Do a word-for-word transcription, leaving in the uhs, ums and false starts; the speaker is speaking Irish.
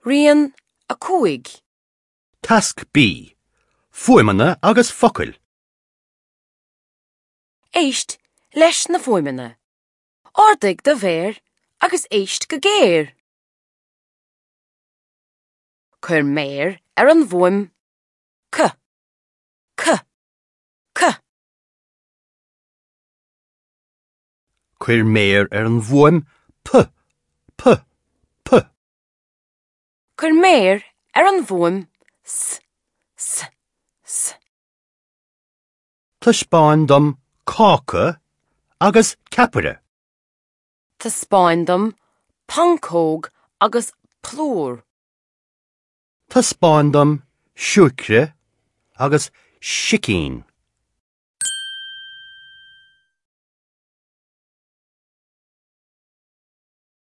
Rian a cúig. Tasc B. Fuaimeanna agus focail. Éist leis na fuaimeanna. Ardaigh do mhéar agus éist go géar. Cuir méar ar an bhfuaim C. C. C. Cuir méar ar an bhfuaim P. P. P. Cuir méar ar an bhfuaim S. S. S. Taispeáin dom cáca agus ceapaire. Taispeáin dom pancóg agus plúr. Taispeáin dom siúcra agus sicín.